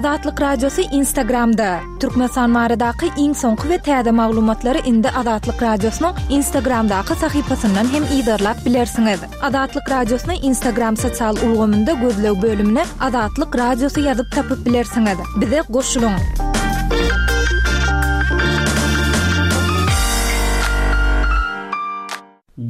Azatlyk Radiosy Instagramda! Türkmenistan baradaky iň soňky we täze maglumatlary indi Azatlyk Radiosynyň Instagramdaky sahypasyndan hem yzarlap bilersiňiz. Azatlyk Radiosyny Instagram sosial ulgamynda gözleg bölümine Azatlyk Radiosy ýazyp tapyp bilersiňiz. Bize goşulyň!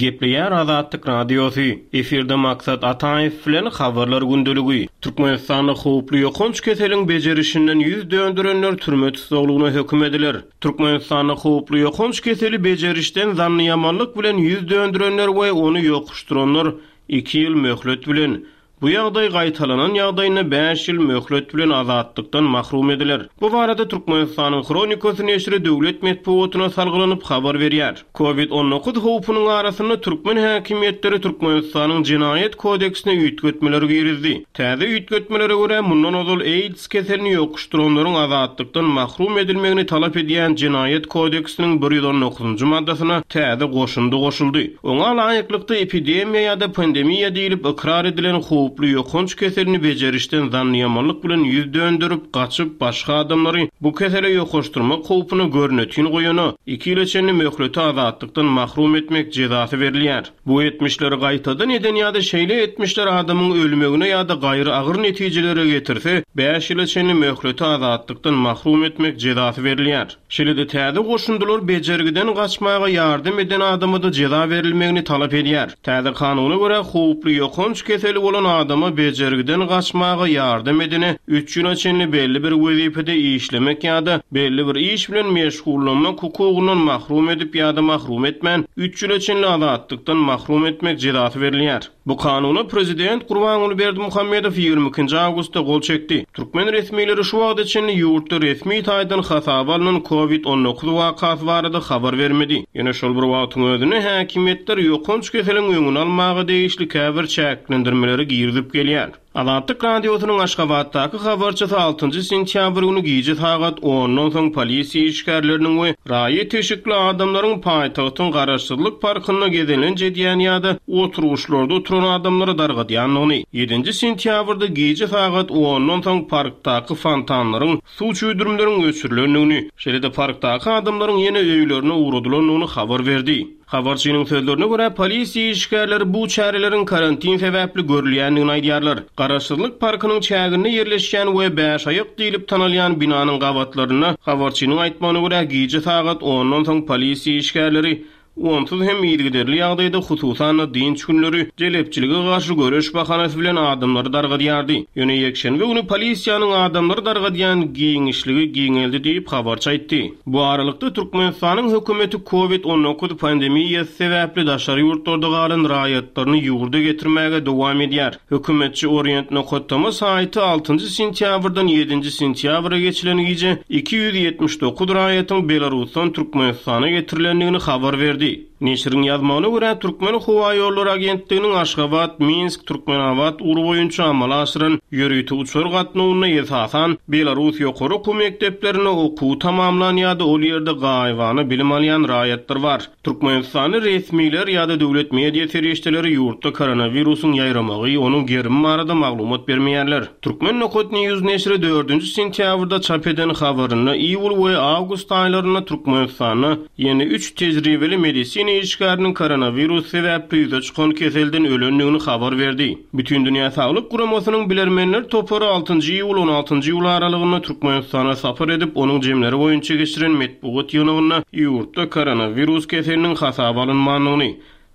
Gepleýär Azatlyk Radiosy, Efirde Maksat Ataýew bilen Habarlar gündeligi. Türkmenistanda howply ýokanç keseliň bejerişinden ýüz dönderenler türme tussaglygyna höküm ediler. Türkmenistanda howply ýokanç keseli bejerişden zannyýamanlyk bilen ýüz döndürenler we ony ýokuşdyranlar iki ýyl möhlet bilen, Bu ýagdaý gaýtalanan ýagdaýynda bäş ýyl möhlet bilen azatlykdan mahrum ediler. Bu barada Türkmenistanyň Hronikasy neşiri döwlet metbugatyna salgylanyp habar berýär. Covid 19 howpunyň arasynda türkmen häkimiýetleri Türkmenistanyň Jenaýat kodeksine üýtgetmeler girizdi. Täze üýtgetmelere görä, mundan ozal AIDS keselini ýokuşdyranlaryň azatlykdan mahrum edilmegini talap edýän Jenaýat kodeksiniň 119-njy maddasyna täze goşundy goşuldy. Oňa laýyklykda, epidemiýa ýa-da pandemiýa diýlip ykrar edilen howply ýokanç keselini bejerişden zannyýamanlyk bilen ýüz dönderip, gaçyp, başga adamlary bu kesele ýokaşdyrmak howpuny görnetin goýana, iki ýyla çenli möhlete azatlykdan mahrum etmek jezasy berilýär. Bu etmişleri gaýtadan eden ýa-da şeýle etmişler adamyň ölmegine ýa-da gaýry agyr netijelere getirse, bäş ýyla çenli möhlete azatlykdan mahrum etmek jezasy berilýär. Şeýle-de täze goşundylar bejergiden gaçmaga ýardam eden adama-da jeza berilmegini talap edýär. Täze kanuna görä, howply ýokanç keseli bolan adama bejergiden gaçmaga ýardam edene üç ýyla çenli belli bir wezipede işlemek ýa-da belli bir iş bilen meşgullanmak hukugyndan mahrum edip ýa-da mahrum etmän, üç ýyla çenli azatlykdan mahrum etmek jezasy berilýär. Bu kanuna prezident Gurbanguly Berdimuhamedow 22-nji awgustda gol çekdi. Türkmen resmileri şu wagta çenli ýurtda resmi taýdan hasaba alnan Covid 19 wakasy barada habar bermedi. Ýöne şol bir wagtyň özünde häkimiýetler ýokanç keseliň öňüni almaga degişli käbir çäklendirmeleri girizip gelýär. Azatlyk Radiosynyň Aşgabatdaky habarçysy altynjy sentýabr güni gije sagat ondan soň polisiýa işgärleriniň we raýat eşikli adamlaryň paýtagtyň Garaşsyzlyk parkynda gezelenç edýän ýa-da oturgyçlarda oturan adamlary dargadýandygyny, ýedinji sentýabrda gije sagat ondan soň parkdaky fontanlaryň, suw çüwdürimleriň öçürilendigini, şeýle-de parkdaky adamlaryň ýene öýlerine ugradylandygyny habar berdi. Habarçynyň sözlerine görä, polisiýa işgärleri bu çäreleriň karantin sebäpli görülýändigini aýdýarlar. Garaşsyzlyk parkynyň çäginde ýerleşýän we Bäşaýak diýlip tanalýan binanyň gabatlarynda, habarçynyň aýtmagyna görä, gije sagat ondan soň polisiýa işgärleri onsuz hem yzygiderli ýagdaýda, hususan-da, dynç günleri jelepçilige garşy göreş bahanasy bilen adamlary dargadýardy. Ýöne ýekşenbe güni polisiýanyň adamlary dargadýan giňişligi giňeldi diýip, habarçy aýtdy. Bu aralykda, Türkmenistanyň hökümeti Covid 19 pandemiýasy sebäpli daşary ýurtlarda galan raýatlaryny ýurda getirmäge dowam edýär. Hökümetçi Orient nokat tm saýty altynjy sentýabrdan ýedinji sentýabra geçilen gije 279 raýatyň Belarusdan Türkmenistana getirilendigini habar berdi. Neşiriň ýazmagyna görä, Türkmenhowaýollary agentliginiň Aşgabat, Minsk, Türkmenabat ugry boýunça amala aşyran ýörite uçar gatnawynda esasan belarus ýokary okuw mekdeplerinde okuwy tamamlan ýa-da ol ýerde gaýybana bilim alýan raýatlar bar. Türkmenistanly resmiler ýa-da döwlet media serişdeleri ýurtda koronawirusyň ýaýramagy, onuň gerimi barada maglumat bermeýärler. Turkmen nokat news neşiri dördünji sentýabrda çap eden habarynda iýul we awgust aýlarynda Türkmenistanda Ýene üç tejribeli medisina işgäriniň koronawirus sebäpli ýüze çykan keselden ölendigini habar berdi. Bütindünýä Saglyk Guramasynyň bilermenler topary altynjy iýul-on altynjy iýul aralygynda Türkmenistana sapar edip, onuň jemleri boýunça geçiren metbugat ýygnagynda ýurtda koronawirus keseliniň hasaba alynmandygyny,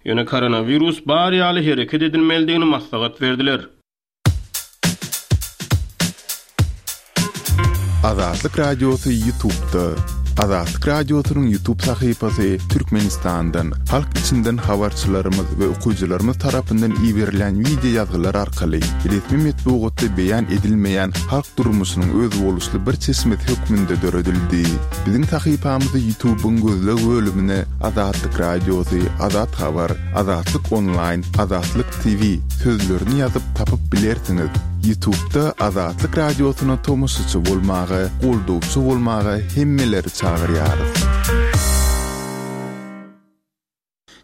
ýöne koronawirus bar ýaly hereket edilmelidigini maslahat berdiler. Azatlyk Radiosy Ýutubda. Azatlyk Radiosynyň Ýutub sahypasy Türkmenistandan, halk içinden habarçylarymyz we okyjylarymyz tarapyndan iberilen wideo ýazgylar arkaly resmi metbugatda beýan edilmeýän halk durmuşynyň özboluşly bir çeşmesi hökmünde döredildi. Biziň sahypamyzy Ýutubyň gözleg bölümine Azatlyk Radiosy, Azat Habar, Azatlyk Onlaýn, Azatlyk TV sözlerini ýazyp tapyp bilersiňiz. Ýutubda Azatlyk Radiosyna tomaşaçy bolmaga, goldawçy bolmaga hemmeleri çagyrýarys.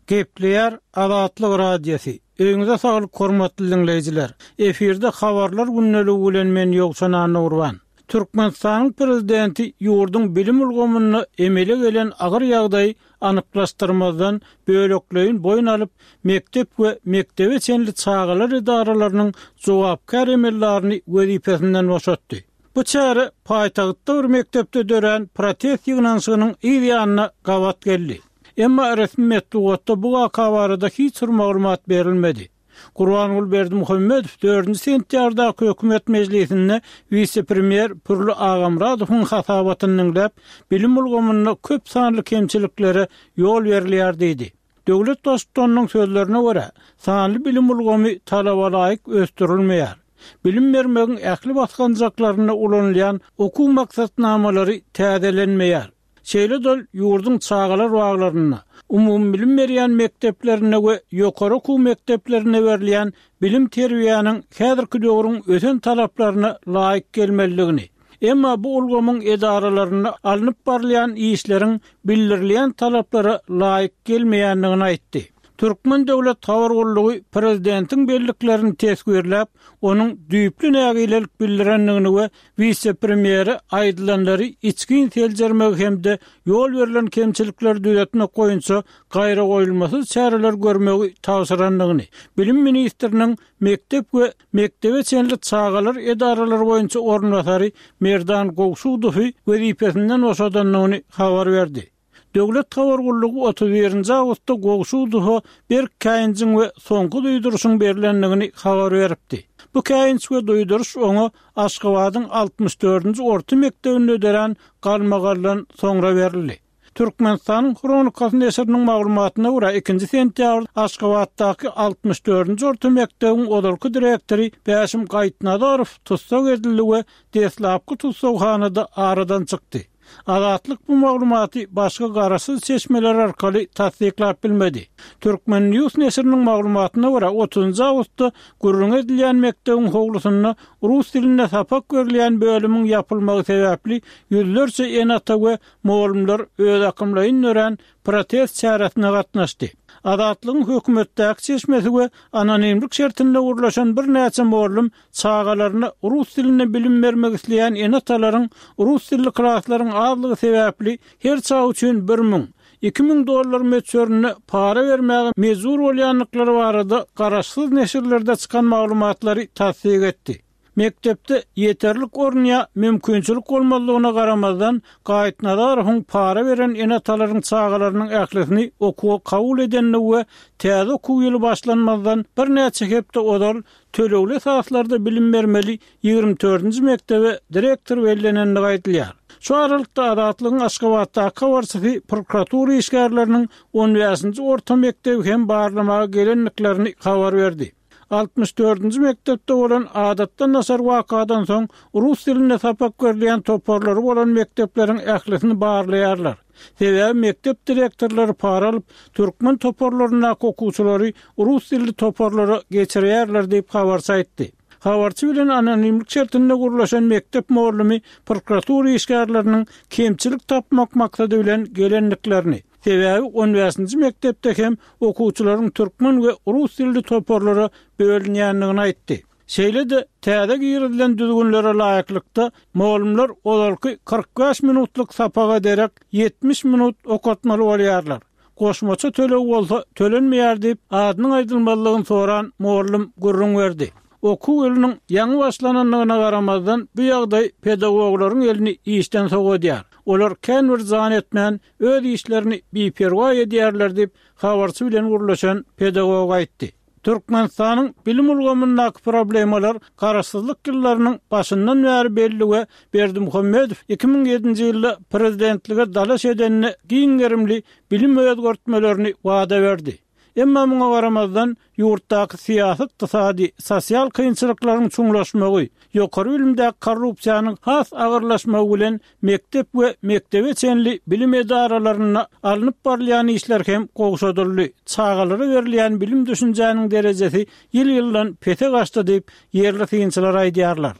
Gepleýär Azatlyk Radiosy. Öýüňize saglyk hormatly diňleýjiler. Efirde habarlar gündeligi bilen men Ýowşan Annagurban. Türkmenistanyň prezidenti ýurduň bilim ulgamynda emele gelen agyr ýagdaýy anyklaşdyrmazdan bölekleýin boýun alyp, mekdep we mekdebe çenli çagalar edaralarynyň jogapkär emeldaryny wezipesinden boşatdy. Bu çäre paýtagtda bir mekdepde dörän protest ýygnanyşygynyň yz ýanyna gabat geldi. Emma resmi metbugatda bu waka barada hiç bir maglumat berilmedi. Gurbanguly Berdimuhamedow dördünji sentýabrdaky hökümet mejlisinde wise-premýer Pürli Agamyradowyň hasabatyny diňläp, bilim ulgamynda köp sanly kemçiliklere ýol berilýär diýdi. Döwlet Baştutanynyň sözlerine görä, sanly bilim ulgamy talabalaýyk ösdürilmeýär. Bilim bermegiň ähli basgançaklarynda ulanylýan okuw maksatnamalary täzelenmeýär. Şeýle-de ol ýurduň çagalar baglarynda, umumybilim berýän mekdeplerinde we ýokary okuw mekdeplerinde berilýän bilim-terbiýäniň häzirki döwrüň ösen talaplaryna laýyk gelmelidigini, emma bu ulgamyň edaralarynda alnyp barylýan işleriň bildirilýän talaplara laýyk gelmeýändigini aýtdy. Türkmen döwlet habar gullugy prezidentiň belliklerini teswirläp, onuň düýpli nägilelik bildirendigini we wise-premýere aýdylanlary içgin seljermegi hem-de ýol berlen kemçilikleri düzetmek boýunça gaýragoýulmasyz çäreler görmegi tabşyrandygyny, bilim ministriniň mekdep we mekdebe çenli çagalar edaralary boýunça orunbasary Merdan Gowşudowy wezipesinden boşadandygyny habar berdi. Döwlet habar gullugy 31 nji awgustda Gowşudowa berk käýinjiň we soňky duýduryşyň berlendigini habar beripdi. Bu käýinç we duýduryş oňa Aşgabadyň 64-nji orta mekdebinde dörän galmagaldan soňra berildi. Türkmenistanyň Hronikasy neşiriniň maglumatyna görä, ikinji sentýabrda Aşgabatdaky 64-nji orta mekdebiň ozalky direktory Bäşim Gaýypnazarow tussag edildi we deslapky tussaghanada aradan çykdy. Azatlyk bu maglumaty başga garaşsyz çeşmeler arkaly tassyklap bilmedi. Turkmen. News neşiriniň maglumatyna görä, otuzynjy awgustda gürrüňi edilýän mekdebiň howlusynda rus dilinde sapak berilýän bölümiň ýapylmagy sebäpli ýüzlerçe ene-ata we mugallymlar özakymlaýyn dörän protest çäresine gatnaşdy. Azatlygyň hökümetdäki çeşmesi we anonimlik şertinde gürleşen birnäçe mugallym çagalaryna rus dilinde bilim bermek isleýän ene-atalaryň rus dilli klaslaryň azlygy sebäpli her çaga üçin 1000, 2000 dollar möçberinde para bermäge mejbur bolýandyklary barada garaşsyz neşirlerde çykan maglumatlary tassyk etdi. Mekdepde ýeterlik orun ýa mümkinçilik bolmazlygyna garamazdan, Gaýypnazarowyň para beren ene-atalaryň çagalarynyň ählisini okuwa kabul edendigi we täze okuw ýyly başlanmazdan birnäçe hepde ozal tölegli esaslarda bilim bermeli 24-nji mekdebe direktor bellenendigi aýdylýar. Şu aralykda Azatlygyň Aşgabatdaky habarçysy prokuratura işgärleriniň on bäşinji orta mekdebi hem barlamaga gelendiklerini habar berdi. 64-nji mekdepde bolan adatdan daşary wakadan soň rus dilinde sapak berilýän toparlary bolan mekdepleriň ählisini barlaýarlar. Sebäbi mekdep direktorlary para alyp, türkmen toparlaryndaky okuwçylary rus dilli toparlara geçirýärler diýip, habarçy aýtdy. Habarçy bilen anonimlik şertinde gürleşen mekdep mugallymy prokuratura işgärleriniň kemçilik tapmak maksady bilen gelendiklerini, sebäbi on bäşinji mekdepde hem okuwçylaryň türkmen we rus dilli toparlara bölünýändigini aýtdy. Şeýle-de, täze girizilen düzgünlere laýyklykda, mugallymlar ozalky 45 minutlyk sapaga derek 70 minut okatmaly bolýarlar. Goşmaça töleg bolsa tölenmeýär diýip, adynyň aýdylmazlygyny soran mugallym gürrüň berdi. Okuw ýylynyň ýaňy başlanandygyna garamazdan, bu ýagdaý pedagoglaryň elini işden sowadýar. Olar kän bir jan etmän, öz işlerini biperwaý edýärler diýip, habarçy bilen gürleşen pedagog aýtdy. Türkmenistanyň bilim ulgamyndaky problemalar garaşsyzlyk ýyllarynyň başyndan bäri belli we Berdimuhamedow 2007-nji ýylda prezidentlige dalaş edende giň gerimli bilim özgertmelerini wada berdi. Emma muňa garamazdan, ýurtdaky syýasy-ykdysady, sosial kynçylyklaryň çuňlaşmagy, ýokary bilimdäki korrupsiýanyň has agyrlaşmagy bilen mekdep we mekdebe çenli bilim edaralarynda alnyp barylýan işler hem gowşadyldy, çagalara berilýän bilim-düşünjäniň derejesi ýyl-ýyldan pese gaçdy diýip, ýerli synçylar aýdýarlar.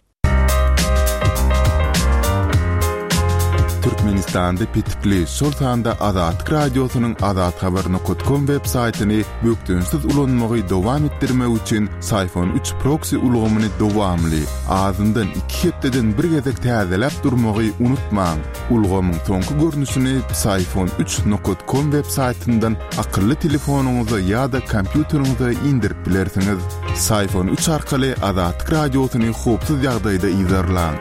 Türkmenistanda petikli, şol sanda Azatlyk Radiosynyň azathabar nokat kom web saýtyny bökdençsiz ulanmagy dowam etdirmek üçin Syfon üç proksi ulgamyny dowamly, azyndan iki hepdeden bir gezek täzeläp durmagy unutmaň. Ulgamyň soňky görnüşini Psiphon üç nokat kom web saýtyndan akylly telefonyňyza ýa-da kompýuteriňize indirip bilersiňiz. Psiphon üç arkaly Azatlyk Radiosyny howpsuz ýagdaýda yzarlaň.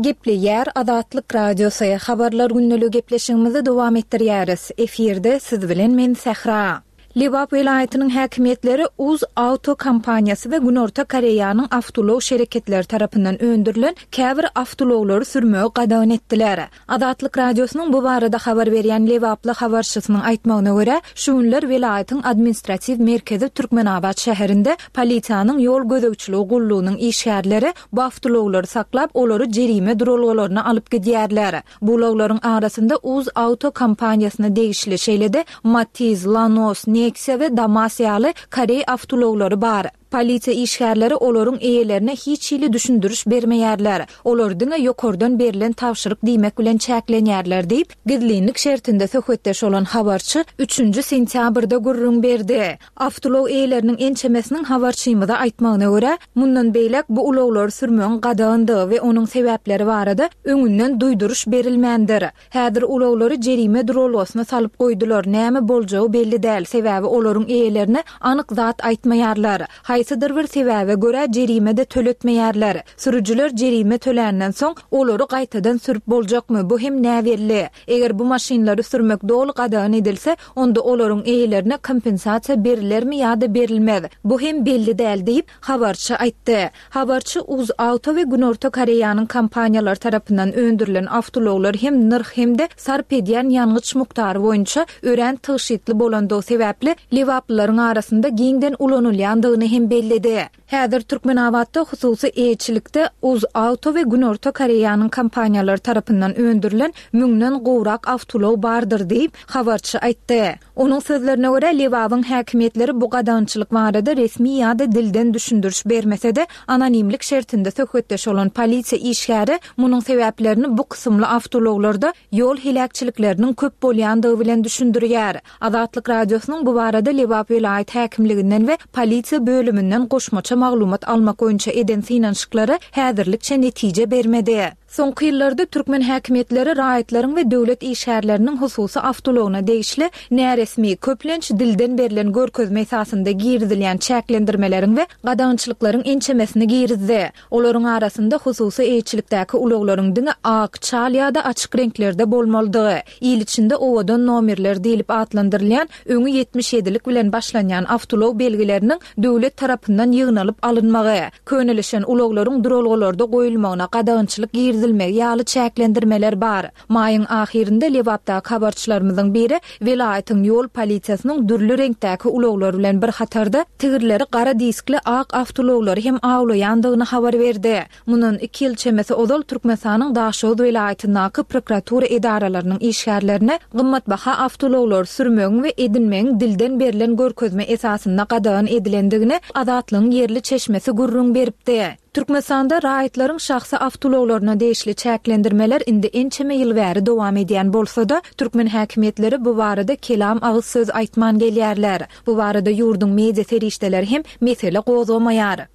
Gepleýär Azatlyk Radiosy, Habarlar gündeligi gepleşigimizi dowam etdirýäris. Efirde siz bilen men Sähra. Lebap welaýatynyň häkimiýetleri Uz Auto kompaniýasy we Günorta Koreýanyň awtoulag şereketleri tarapyndan öndürilen käbir awtoulaglary sürmegi gadagan etdiler. Azatlyk Radiosynyň bu barada habar berýän lebaply habarçysynyň aýtmagyna görä, şu günler welaýatyň administratiw merkezi Türkmenabat şäherinde polisiýanyň ýol gözegçiligi gullugynyň işgärleri bu awtoulaglary saklap, olary jerime duralgalaryna alyp gidýärler. Bu ulaglaryň arasynda Uz Auto kompaniýasyna degişli, şeýle-de Matiz, Lanos, Neksiýa we Damas ýaly koreý awtoulaglary bar. Polisiýa işgärleri olaryň eýelerine hiç hili düşündiriş bermeýärler. Olar diňe ýokardan berlen tabşyryk diýmek bilen çäklenýärler diýip, gizlinlik şertinde söhbetdeş bolan habarçy üçünji sentýabrda gürrüň berdi. Awtoulag eýeleriniň ençemesiniň habarçymyza aýtmagyna görä, mundan beýläk bu ulaglary sürmegiň gadagandygy we onuň sebäpleri barada öňünden duýduryş berilmändir. Häzir ulaglary jerime duralgasyna salyp goýdular, näme boljagy belli däl, sebäbi olaryň eýelerine anyk zat aýtmaýarlar. Haýsydyr bir sebäbe görä jerime-de töletmeýärler. Sürüjiler jerime töländen soň, olary gaýtadan sürüp boljakmy, bu hem näbelli. Eger bu maşynlary sürmek doly gadagan edilse, onda olaryň eýelerine kompensasiýa berilermi ýa-da berilmez, bu hem belli däl diýip, habarçy aýtdy. Habarçy UzAuto we Günorta Koreýanyň kompaniýalary tarapyndan öndürilen awtoulaglar hem nyrh hem-de sarp edýän ýangyç mukdary boýunça örän tygşytly bolandygy sebäpli lebaplylaryň arasynda giňden ulanylýandygyny hem belledi. Häzir Türkmenabatda hususy eýeçilikde UzAuto we Günorta Koreýanyň kompaniýalary tarapyndan öndürilen müňden gowrak awtoulag bardyr diýip, habarçy aýtdy. Onuň sözlerine görä, Lebabyň häkimiýetleri bu gadagançylyk barada resmi ýa-da dilden düşündiriş bermese-de, anonimlik şertinde söhbetdeş bolan polisiýa işgäri munuň sebäplerini bu kysymly awtoulaglarda ýol heläkçilikleriniň köp bolýandygy bilen düşündirýär. Azatlyk Radiosynyň bu barada Lebap welaýat häkimliginden we polisiýa bölüminden goşmaça maglumat almak boýunça eden synanyşyklary häzirlikçe netije bermedi. Soňky ýyllarda türkmen häkimiýetleri raýatlaryň we döwlet işgärleriniň hususy awtoulagyna degişli näresmi, köplenç dilden berlen görkezme esasynda girizilýän çäklendirmeleriň we gadagançylyklaryň ençemesini girizdi. Olaryň arasynda hususy eýeçilikdäki ulaglaryň diňe ak, çal ýa-da açyk reňklerde bolmalydygy, il içinde owadan nomerler diýlip atlandyrylýan öňi ýetmiş ýedilik bilen başlanýan awtoulag belgileriniň döwlet tarapyndan ýygnalyp alynmagy, könelişen ulaglaryň duralgalarda goýulmagyna gadagançylyk girizilmegi ýaly çäklendirmeler bar. Maýyň ahyrynda Lebapdaky habarçylarymyzyň biri welaýatyň ýol polisiýasynyň dürli reňkdäki ulaglar bilen bir hatarda, tigirleri gara diskli ak awtoulaglary hem awlaýandygyny habar berdi. Mundan iki ýyl çemesi ozal Türkmenistanyň Daşoguz welaýatyndaky prokuratura edaralarynyň işgärlerine gymmatbaha awtoulaglary sürmegiň we edinmegiň dilden berlen görkezme esasynda gadagan edilendigini Azatlygyň ýerli çeşmesi gürrüň beripdi. Türkmenistanda raýatlaryň şahsy awtoulaglaryna degişli çäklendirmeler indi ençeme ýyl bäri dowam edýän bolsa-da, türkmen häkimiýetleri bu barada kelam agyz söz aýtman gelýärler. Bu barada ýurduň media serişdeleri hem mesele gozgamaýar.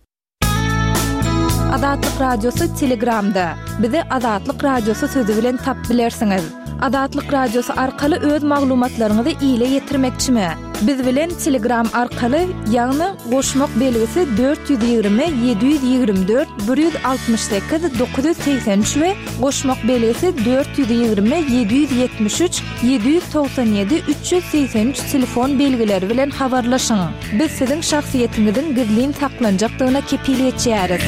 Azatlyk Radiosy Telegramda, Bizi Azatlyk Radiosy sözi bilen tapyp bilersiňiz. Azatlyk Radiosy arkaly öz maglumatlaryňyzy ile ýetirmekçimi? Biz bilen Telegram arkaly, ýagny goşmak belgisi 420 724 168 983 we goşmak belgisi 420 773 797 383 telefon belgileri bilen habarlaşyň. Biz siziň şahsyýetiňiziň gizlin saklanjakdygyna kepil geçýäris.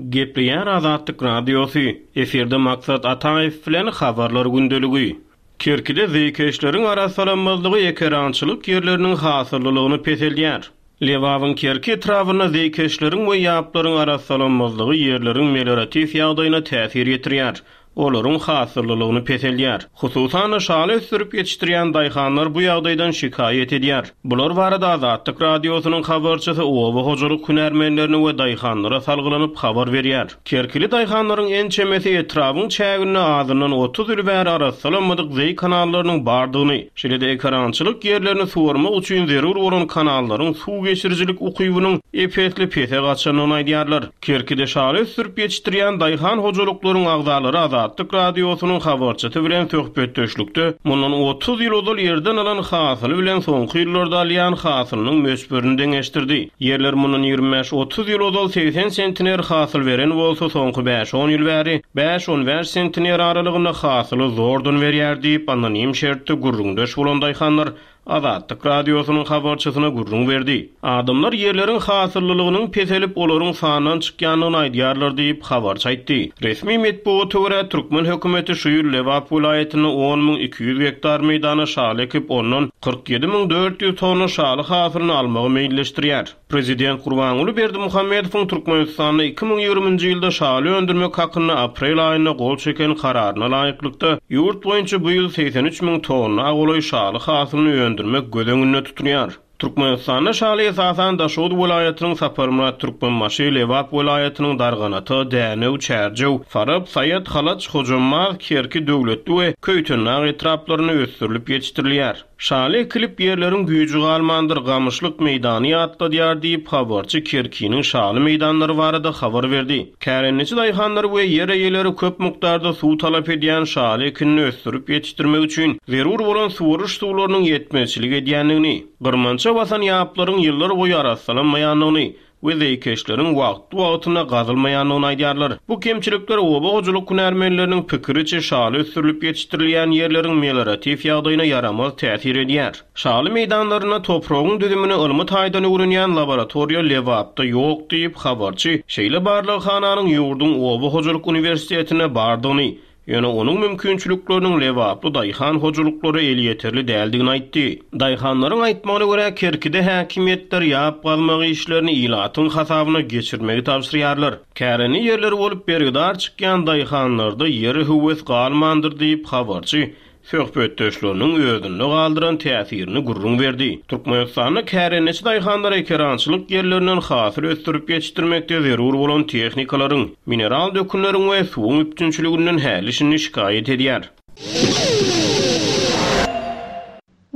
Gepleýär Azatlyk Radiosy, efirde Maksat Ataýew bilen Habarlar gündeligi. Kerkide zeýkeşleriň arassalanmazlygy ekerançylyk ýerleriniň hasyllylygyny peseldýär. Lebabyň Kerki etrabynda zeýkeşleriň we ýaplaryň arassalanmazlygy ýerleriň melioratiw ýagdaýyna täsir ýetirýär. Olaryň hasyllylygyny peseldýär. Hususan-da, şaly ösdürip ýetişdirýän daýhanlar bu ýagdaýdan şikaýat edýär. Bular barada Azatlyk Radiosynyň habarçysy oba hojalyk hünärmenlerine we daýhanlara salgylanyp habar berýär. Kerkili daýhanlaryň ençemesi etrabyň çäginde azyndan 30 ýyl bäri arassalanmadyk zeý kanallarynyň bardygyny, şeýle-de ekerançylyk ýerlerini suwarmak üçin zerur bolan kanallaryň suw geçirijilik ukybynyň ep-esli pese gaçandygyny aýdýarlar. Kerkide şaly ösdürip ýetişdirýän daýhan hojalyklaryň agzalary Azatlyk Radiosynyň habarçysy bilen söhbetdeşlikde mundan 30 ýyl ozal ýerden alan hasyly bilen soňky ýyllarda alýan hasylynyň möçberini deňeşdirdi. Ýerler mundan 25-30 ýyl ozal 80 sentner hasyl beren bolsa, soňky bäş-on ýyl bäri bäş-on bäş sentner aralygynda hasyly zordan berýär diýip, anonim şertde gürrüňdeş bolan daýhanlar Azatlyk Radiosynyň habarçysyna gürrüň berdi. Adamlar ýerleriň hasyllylygynyň peselip, olaryň sandan çykýandygyny aýdýarlar diýip, habarçy aýtdy. Resmi metbugata görä, türkmen hökümeti şu ýyl Lebap welaýatynda 10 200 gektar meýdana şaly ekip, ondan 47 400 tonna şaly hasylyny almagy meýilleşdirýär. Prezident Gurbanguly Berdimuhamedowyň Türkmenistanda 2020-nji ýylda şaly öndürmek hakynda aprel aýynda gol çeken Kararyna laýyklykda, ýurt boýunça bu ýyl 83 müň tonna golaý şaly hasylyny öndürmek göz öňünde tutulýar. Türkmenistanda şaly esasan Daşoguz welaýatynyň Saparmyrat Türkmenbaşy, Lebap welaýatynyň Darganata, Dänew, Çärjew, Farap, Saýat, Halaç, Hojambaz, Kerki, Döwletli we Köýtendag etraplarynda ösdürilip ýetişdirilýär. Şaly ekilip ýerleriň güýji galmandyr, gamyşlyk meýdany ýatladýar diýip, habarçy Kerkiniň şaly meýdanlary barada habar berdi. Kärendeçi daýhanlar we ýer eýeleri köp mukdarda suw talap edýän şaly ekinini ösdürip ýetişdirmek üçin zerur bolan suwaryş suwlarynyň ýetmezçilik edýändigini, gyrmança basan ýaplaryň ýyllar boýy arassalanmaýandygyny, we zeýkeşleriň wagtly-wagtynda gazylmaýandygyny aýdýarlar. Bu kemçilikler oba hojalyk hünärmenleriniň pikiriçe şaly ösdürilip ýetişdirilýän ýerleriň melioratiw ýagdaýyna ýaramaz täsir edýär. Şaly meýdanlarynda topragyň düzümini ylmy taýdan öwrenýän laboratoriýa Lebapda ýok diýip, habarçy şeýle barlaghananyň ýurduň oba hojalyk uniwersitetinde bardygyny, Ýöne onuň mümkinçilikleriniň lebaply daýhan hojalyklara elýeterli däldigini aýtdy. Daýhanlaryň aýtmagyna görä, Kerkide häkimiýetler ýap gazmak işlerini ilatyň hasabyna geçirmegi tabşyrýarlar. Kärende ýerleri bolup bergidar çykýan daýhanlarda ýere höwes galmandyr diýip, habarçy söhbetdeşleriniň özünde galdyran täsirini gürrüň berdi. Türkmenistanda kärendeçi daýhanlar ekerançylyk ýerlerinden hasyl ösdürip ýetişdirmekde zerur bolan tehnikalaryň, mineral dökünleriň we suwuň üpjünçiliginden häli-şindi şikaýat edýär.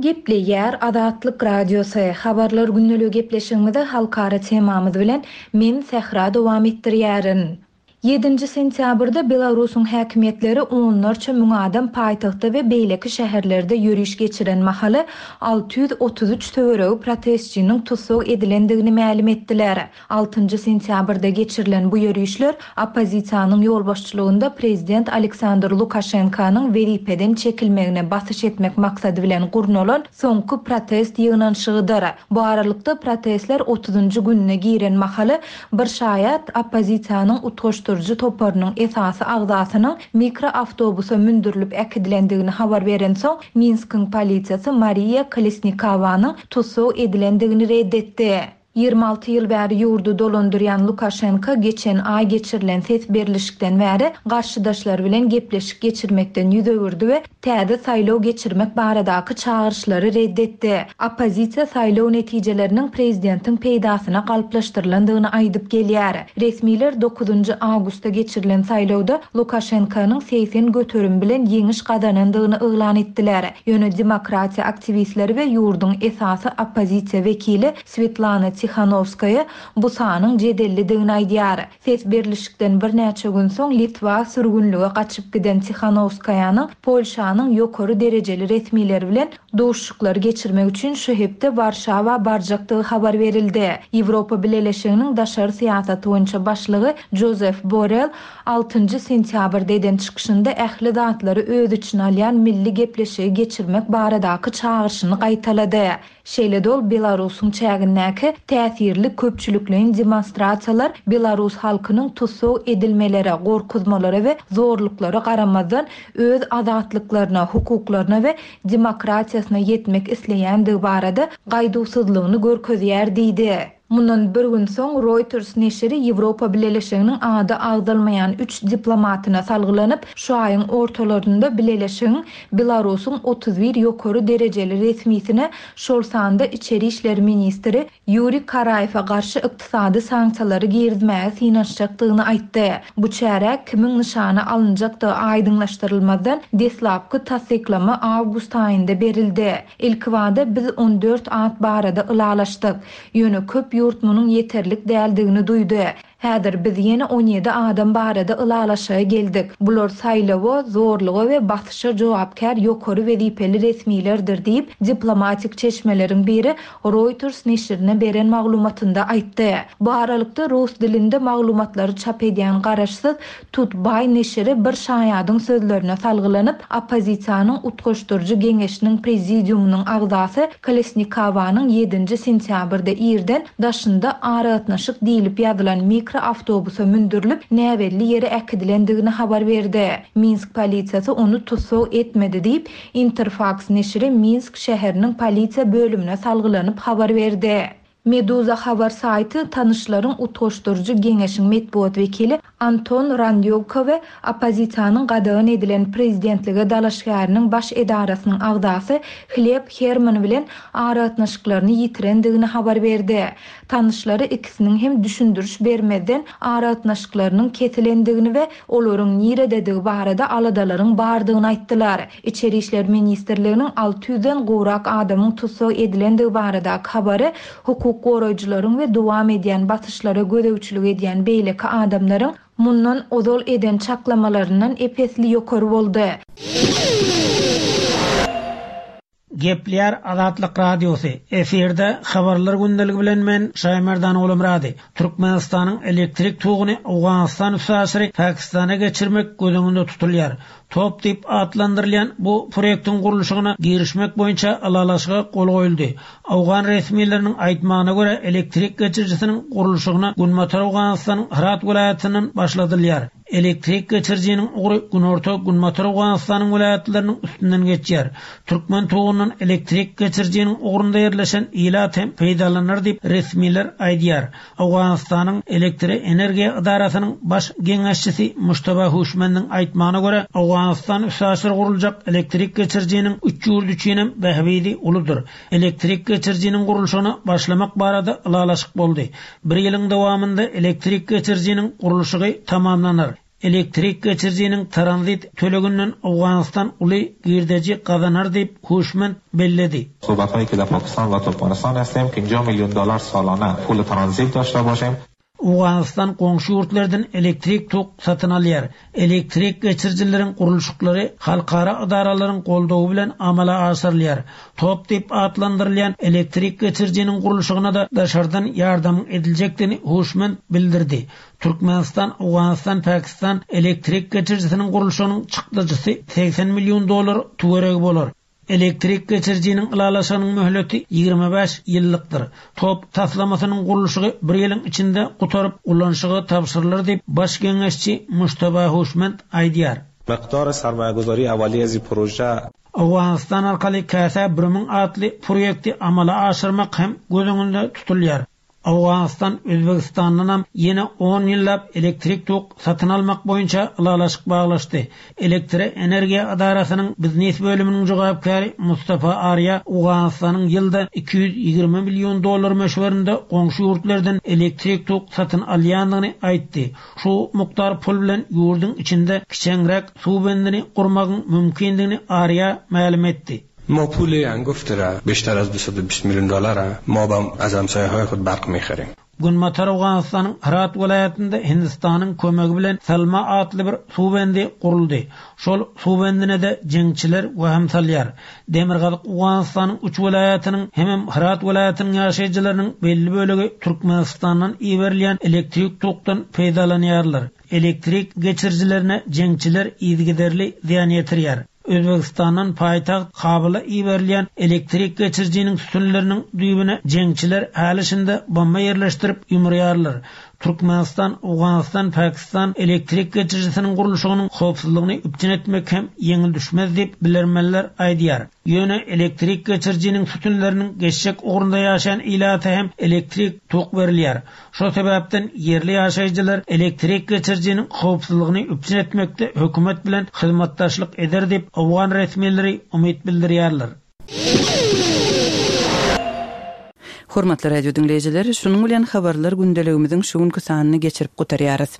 Gepleýär Azatlyk Radiosy, Habarlar gündeligi gepleşigimizi halkara temamyz bilen men Sähra dowam etdirýärin. Ýedinji sentýabrda Belarusyň häkimiýetleri onlarça müň adam paýtagtda we beýleki şäherlerde ýöriş geçiren mahaly 633 töweregi protestçiniň tussag edilendigini mälim etdiler. Altynjy sentýabrda geçirilen bu ýörişler oppozisiýanyň ýolbaşçylygynda prezident Aleksandr Lukaşenkanyň wezipeden çekilmegine basyş etmek maksady bilen gurnalan soňky protest ýygnanyşygydyr. Bu aralykda protestler otuzynjy gününe giren mahaly Bir şaýat oppozisiýanyň utgaşdyryjy toparynyň esasy agzasynyň mikroawtobusa mündürilip äkidilendigini habar berensoň, Minskiň polisiýasy Mariýa Kolesnikowanyň tussag edilendigini ret etdi. 26 ýyl bäri ýurdy dolandyrýan Lukaşenko geçen aý geçirilen ses berlişikden bäri garşydaşlary bilen gepleşik geçirmekden ýüz öwürdi we täze saýlaw geçirmek baradaky çagyryşlary ret etdi. Oppozisiýa saýlaw netijeleriniň prezidentiň peýdasyna galplaşdyrylandygyny aýdyp gelýär. Resmiler dokuzynjy awgustda geçirilen saýlawda Lukaşenkonyň 80% bilen ýeňiş gazanandygyny yglan etdiler. Ýöne demokratiýa aktiwistleri we ýurduň esasy oppozisiýa wekili Swetlana Tihanowskaýa bu sanyň jedellidigini aýdýar. Ses berlişikden birnäçe gün soň Litwa sürgünlige gaçyp giden Tihanowskaýanyň Polşanyň ýokary derejeli resmileri bilen duşuşyklary geçirmek üçin şu hepde Warşawa barjakdygy habar berildi. Ýewropa Bileleşiginiň daşary syýasaty boýunça başlygy Jozef Borrell altynjy sentýabrda eden çykyşynda ähli zatlary öz içine alýan milli gepleşigi geçirmek baradaky çagyryşyny gaýtalady. Şeýle-de ol Belarusyň çägindäki täsirli köpçülikleýin demonstrasiýalar belarus halkynyň tussag edilmelere, gorkuzmalara we zorluklara garamazdan öz azatlyklaryna, hukuklaryna we demokratiýasyna ýetmek isleýändigi barada gaýduwsyzlygyny görkezýär diýdi. Mundan bir gün soň Reuters neşiri Ýewropa Bileleşiginiň ady agzalmaýan üç diplomatyna salgylanyp, şu aýyň ortalarynda Bileleşigiň Belarusyň 31 ýokary derejeli resmisine, şol sanda içeri işler ministri Ýuriý Karaýewe garşy ykdysady sanksiýalary girizmäge synanyşjakdygyny aýtdy. Bu çärä kimiň nyşana alynjakdygy aýdyňlaşdyrylmazdan, deslapky tassyklama awgust aýynda berildi. Ilkibada biz on dört at barada ylalaşdyk. Ýöne köp ýurt munuň ýeterlik däldigini duýdy. Häzir biz ýene on ýedi adam barada ylalaşyga geldik. Bular saýlawa, zorluga we basyşa jogapkär ýokary wezipeli resmilerdir diýip, diplomatik çeşmeleriň biri Reuters neşirine beren maglumatynda aýtdy. Bu aralykda, rus dilinde maglumatlary çap edýän garaşsyz Tutbaý neşiri bir şaýadyň sözlerine salgylanyp, oppozisiýanyň Utgaşdyryjy geňeşiniň prezidiumynyň agzasy Kolesnikowanyň ýedinji sentýabrda irden daşynda aragatnaşyk diýlip ýazylan mikroawtobusa mündürilip, näbelli ýere äkidilendigini habar berdi. Minsk polisiýasy ony tussag etmedi diýip, Interfaks neşiri Minsk şäheriniň polisiýa bölümine salgylanyp habar berdi. Meduza habar saýty Tanyşlaryň utgaşdyryjy geňeşiň metbugat wekili Anton Randýowka we oppozisiýanyň gadagan edilen prezidentlige dalaşgäriniň baş edarasynyň agzasy Hleb Herman bilen aragatnaşyklaryny ýitirendigini habar berdi. Tanyşlary ikisiniň hem düşündiriş bermezden aragatnaşyklarynyň kesilendigini we olaryň nirededigi barada aladalaryň bardygyny aýtdylar. Içeri işler ministrliginiň 600-den gowrak adamyň tussag edilendigi baradaky habary hukuk goraýjylaryň we dowam edýän basyşlara gözegçilik edýän beýleki adamlaryň mundan ozal eden çaklamalaryndan ep-esli ýokary boldy. Gepleýär Azatlyk Radiosy, efirde Habarlar gündeligi bilen men Şaýmerdan Ogulmyrady. Türkmenistanyň elektrik toguny Owganystan üstaşyry Pakistana geçirmek göz öňünde tutulýar. Top diýip atlandyrylýan bu proýektiň gurluşygyna girişmek boýunça ylalaşyga gol goýuldy. Owgan resmileriniň aýtmagyna görä, elektrik geçirijisiniň gurluşygyna Günbatar Owganystanyň Hyrat welaýatyndan başladylýar. Elektrik geçirijiniň ugry Günorta, Günbatar Owganystanyň welaýatlarynyň üstünden geçýär. Türkmen togundan elektrik geçirijiniň ugrunda ýerleşen ilat hem peýdalanar diýip, resmiler aýdýar. Owganystanyň Elektroenergiýa edarasynyň baş geňeşçisi Mujtaba Huşmendiň aýtmagyna görä, Owganystan üstaşyr guruljak elektrik geçirijiniň üç ýurt üçinem bähbidi uludyr. Elektrik geçirijiniň gurluşygyna başlamak barada ylalaşyk boldy. Bir ýylyň dowamynda elektrik geçirijiniň gurluşygy tamamlanar. Elektrik geçirijiniň tranzit töleginden Owganystan uly girdeji gazanar diýip, Huşmend belledi. Sohbethayi ke dar Pakistan va Turkmenistan hastim 50 milyon dolar salane pul tranzit daşte başim. Owganystan goňşy ýurtlardan elektrik tok satyn alýar. Elektrik geçirijileriň gurluşyklary halkara edaralaryň goldawy bilen amala aşyrylýar. Top diýip atlandyrylýan elektrik geçirijiniň gurluşygyna-da daşardan ýardamyň ediljekdigini Huşmend bildirdi. Türkmenistan, Owganystan, Pakistan elektrik geçirijisiniň gurluşygynyň çykdajysy 80 million dollar töweregi bolar. Elektrik geçirijiniň ylalaşygynyň möhleti 25 ýyllykdyr. Top taslamasynyň gurluşygy bir ýylyň içinde gutaryp, ulanyşyga tabşyrylar diýip, baş geňeşçi Mujtaba Huşmend aýdýar. Miqdar sarmaýaguzari awaliye az proje. Owganystan arkaly Käsä bir müň atly proýekti amala aşyrmak hem göz öňünde tutulýar. Owganystan Özbegistandanam ýene on ýyllap elektrik tok satyn almak boýunça ylalaşyk baglaşdy. Elektroenergiýa edarasynyň biznes bölüminiň jogapkäri Mustafa Arýa Owganystanyň ýylda 220 million dollar möçberinde goňşy ýurtlardan elektrik tok satyn alýandygyny aýtdy. Şu mukdar pul bilen ýurduň içinde kiçeňräk suw bendini gurmagyň mümkindigini Arýa mälim etdi. ما پول هنگفت را بیشتر از 220 میلیون دلار ما با از همسایه های خود برق میخریم. Günbatar Owganystanyň Hyrat welaýatynda Hindistanyň kömegi bilen Salma atly bir suw bendi guruldy. Şol suw bendine-de jeňçiler wehim salýar. Demirgazyk Owganystanyň üç welaýatynyň hemem Hyrat welaýatynyň ýaşaýjylarynyň belli bölegi Türkmenistandan iberilýän elektrik tokdan peýdalanýarlar. Elektrik geçirijilerine jeňçiler yzygiderli zyýan ýetirýär. Özbegistandan paýtagt Kabula iberilýän elektrik geçirijiniň sütünleriniň düýbüne jeňçiler häli-şindi bomba ýerleşdirip ýumurýarlar. Türkmenistan, Owganystan, Pakistan elektrik geçirijisiniň gurluşygynyň howpsuzlygyny üpjün etmek hem ýeňil düşmez diýip, bilermenler aýdýar. Ýöne elektrik geçirijiniň sütünleriniň geçjek ugrunda ýaşaýan ilata hem elektrik tok berilýär. Şol sebäpden ýerli ýaşaýjylar elektrik geçirijiniň howpsuzlygyny üpjün etmekde hökümet bilen hyzmatdaşlyk eder diýip, owgan resmileri umyt bildirýärler. Hormatly radio diňleýjiler, şunuň bilen Habarlar gündeligimiziň şu günki sanyny geçirip gutarýarys.